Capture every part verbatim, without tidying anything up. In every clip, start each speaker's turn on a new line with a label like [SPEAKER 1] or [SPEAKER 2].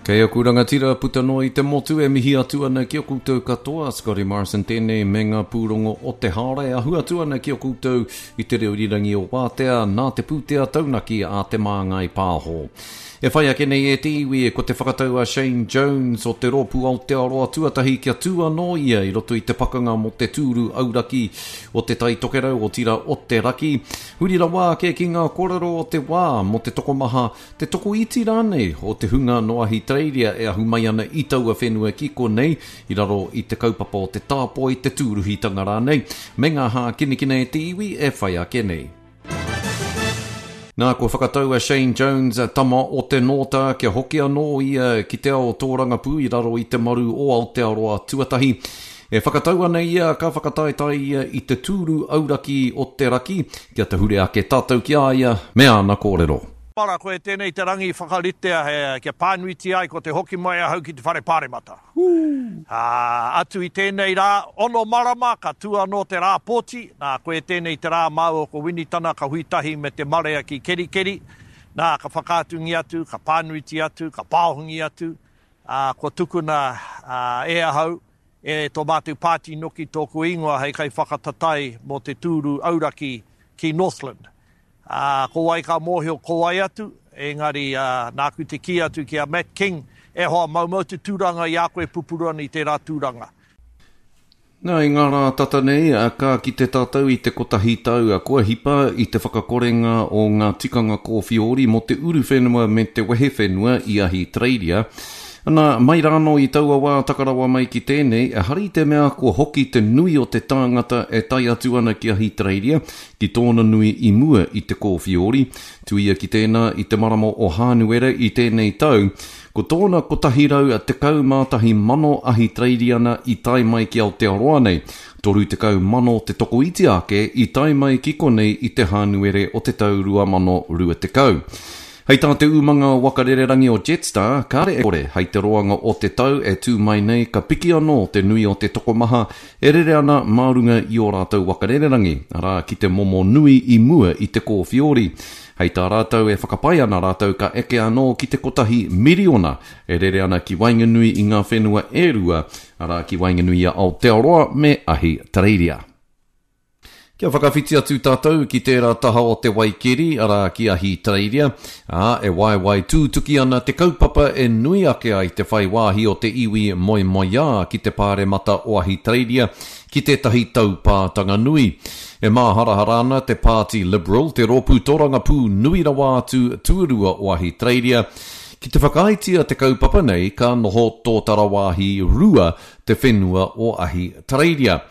[SPEAKER 1] Kei aku rangatira puta noa i te motu e mihi atu ana ki a koutou katoa, Scotty Morrison tēnei me ngā pūrongo o te haora e ahu atu ana ki a koutou i te reo irirangi o Wātea nā te pūtea taunaki a Te Māngai Pāho. E whai ake nei e te iwi ko te whakatau a Shane Jones o te Rōpū Aotearoa Tuatahi kia tū anō ia i roto i te pakanga mō te tūru auraki o Te Tai Tokerau, otirā o te raki. Huri rawa ake ki ngā kōrero o te wā mō te tokomaha, te tokoiti rānei o te hunga nō Ahitereiria e ahu mai ana i taua whenua ki konei i raro i te kaupapa o te tāpoi, te tūruhitanga rānei, me ngā hākinakina e te iwi e whai ake nei. Nā, kua whakatau a Shane Jones, tama o te Nōta, kia hoki anō ia ki te ao tōrangapū i raro i te maru o Aotearoa Tuatahi. E whakatau ana ia ka whakataetae ia i te tūru auraki o te raki, kia tahure ake tātou ki a ia me āna kōrero.
[SPEAKER 2] Para, koe tēnei te rangi whakaritea he, kia pānuitia ai ko te hoki mai ahau ki te whare pāremata. Ā, atu i tēnei rā, ono marama, ka tū anō te rā pōti, nā, koe tēnei te rā māua ko Winitana ka hui tahi me te marea ki Kerikeri, nā, ka whakaatungia atu, ka pānuitia atu, ka pāohungia atu, ā, kua tukuna e ahau, e tō mātou pāti noki tōku ingoa hei kaiwhakatatae mō te tūru auraki ki Northland. Ā, ko wai ka mōhio ko wai atu, engari, ā, nāku te kī atu ki a Matt King, e hoa, maumau te tūranga i a koe pupuru ana i tērā tūranga.
[SPEAKER 1] Nā, i ngā rā tata nei, ka kite tātou i te kotahi tau kua hipa i te whakakorenga o ngā tikanga kōwhiori mō te uruwhenua me te wehe whenua i Ahitereiria. Ana, mai rānō i taua wā taka rawa mai ki tēnei, ehara i te mea kua hoki te nui o te tāngata e tae atu ana ki Ahitereiria ki tōna nui i mua i te kōwhiori. Tuia ki tēnā i te marama o Hānuere i tēnei tau, ko tōna kotahi rau tekau mā tahi mano Ahitereiriana i tae mai ki Aotearoa nei, toru tekau mano te tokoiti ake i tae mai ki konei i te Hānuere o te tau rua mano rua tekau. Hei tā te umanga waka rererangi o Jetstar, kāre e kore hei te roanga o te tau e tū mai nei ka piki anō te nui o te tokomaha e rere ana mā runga i ō rātou waka rererangi, arā ki te momo nui i mua i te kōwhiori. Hei tā rātou e whakapae ana rātou ka eke anō ki te kotahi miriona e rere ana ki waenganui i ngā whenua e rua, arā ki waenganui i a Aotearoa me Ahitereiria. Kia whakawhiti atu tātou ki tērā taha o te Waikeri, arā ki Ahitereiria, ā, e waewae tūtuki ana te kaupapa e nui ake ai te whai wāhi o te iwi moemoeā ki te pāremata o Ahitereiria ki tētahi taupātanga nui. E māharahara ana te Pāti Liberal, te rōpū tōrangapū nui rawa atu tuarua o Ahitereiria, ki te whakaaetia te kaupapa nei ka noho tōtara wāhi rua te whenua o Ahitereiria.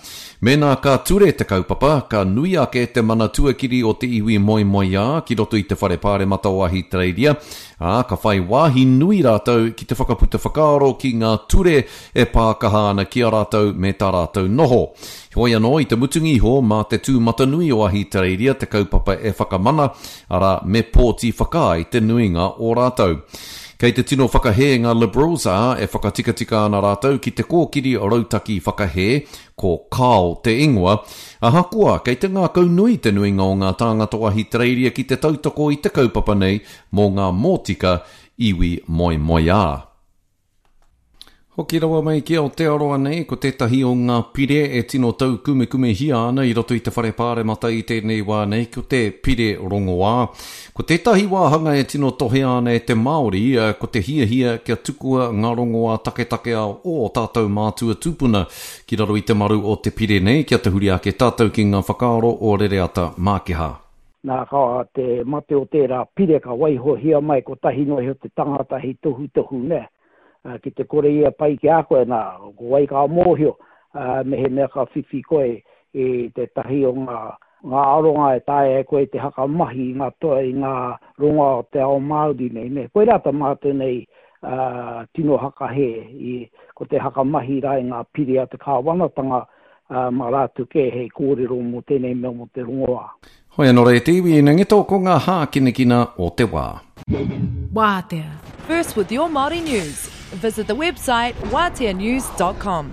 [SPEAKER 1] Mēnā ka ture te kaupapa, ka nui ake te mana tuakiri o te iwi moemoeā ki roto i te whare pāremata o Ahitereiria, ā, ka whai wāhi nui rātou ki te whakaputa whakaaro ki ngā ture e pākaha ana ki a rātou me tā rātou noho. Heoi anō, i te mutunga iho, mā te tūmatanui o Ahitereiria te kaupapa e whakamana, arā, me pōti whakaae te nuinga o rātou. Kei te tino whakahē ngā Liberals, ā, e whakatikatika ana rātou ki te kōkiri rautaki whakahē, ko Kao te ingoa, ahakoa kei te ngākau nui te nuinga o ngā tāngata o Ahitereiria ki te tautoko i te kaupapa nei mō ngā mōtika iwi moemoeā. Hoki rawa mai ki Aotearoa nei, ko tētahi o ngā pire e tino taukumekumehia ana i roto i te whare pāremata i tēnei wā nei, ko te pire rongoā. Ko tētahi wāhanga e tino tohea ana e te Māori, ko te hiahia kia tukua ngā rongoā taketake a ō tātou mātua tūpuna ki raro i te maru o te pire nei, kia tahuri ake tātou ki ngā whakaaro o Rereata Mākeha.
[SPEAKER 3] Nā, ka te mate o tērā pire ka waihohia mai kotahi noa iho te tangata hei tohutohu, nē. Ki te kore ia pai ki a koe, nā, ko wai ka mōhio, mehemea ka whiwhi koe i tētahi o ngā, ngā aronga e taea e koe te hakamahi i ngā toa, i ngā rongoā o te ao Māori nei, nē. Koirā tā mātou nei tino hakahē, i, ko te hakamahi rā i ngā pire a te kāwanatanga, mā rātou kē hei kōrero mō tēnei mea mō te rongoā.
[SPEAKER 1] Hoi anō rā e te iwi, ina ngeto ko ngā hākinakina o te wā.
[SPEAKER 4] Wātea. First with your Māori news. Visit the website wātea news dot com.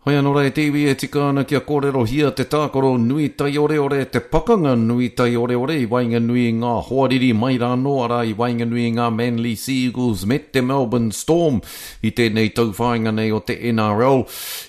[SPEAKER 1] Hoi anō rā e te iwi e tika ana kia kōrerohia te tākaro nui taioreore, te pakanga nui taioreore i waenganui i ngā hoariri mai rānō, arā i waenganui i ngā Manly Sea Eagles me te Melbourne Storm i tēnei tauwhāinga nei o te N R L.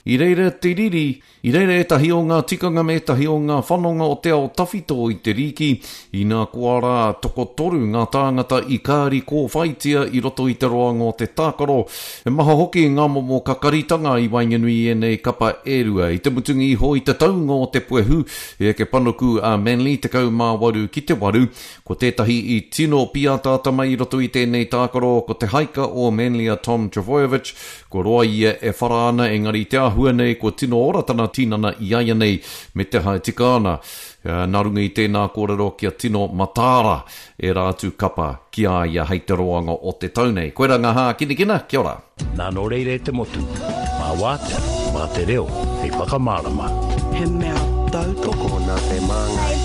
[SPEAKER 1] I reira te riri, i reira ētahi o ngā tikanga me ētahi o ngā whanonga o te ao tawhito i te rīki, inā koa rā tokotoru ngā tāngata i kāri kōwhaitia i roto i te roanga o te tākaro. He maha hoki ngā momo kakaritanga i waenganui i ēnei kapa e rua. I te mutunga iho i te taunga o te puehu, e eke panuku a Manly tekau mā waru ki te waru. Ko tētahi i tino pīataata mai i roto i tēnei tākaro, ko te haika o Manly a Tom Trbojevic. Ko roa ia e whara ana, engari te āhua nei, ko tino ora tana tinana i aia nei me te hae tika ana. Nā runga i tēnā kōrero kia tino mataara e rā atu kapa ki a ia hei te roanga o te tau nei. Koe rā ngā hākinakina, kia ora.
[SPEAKER 5] Nā nō reira e te motu, mā wātea, mā te reo, hei whakamārama.
[SPEAKER 6] He mea tautoko.
[SPEAKER 7] Nā te māngai.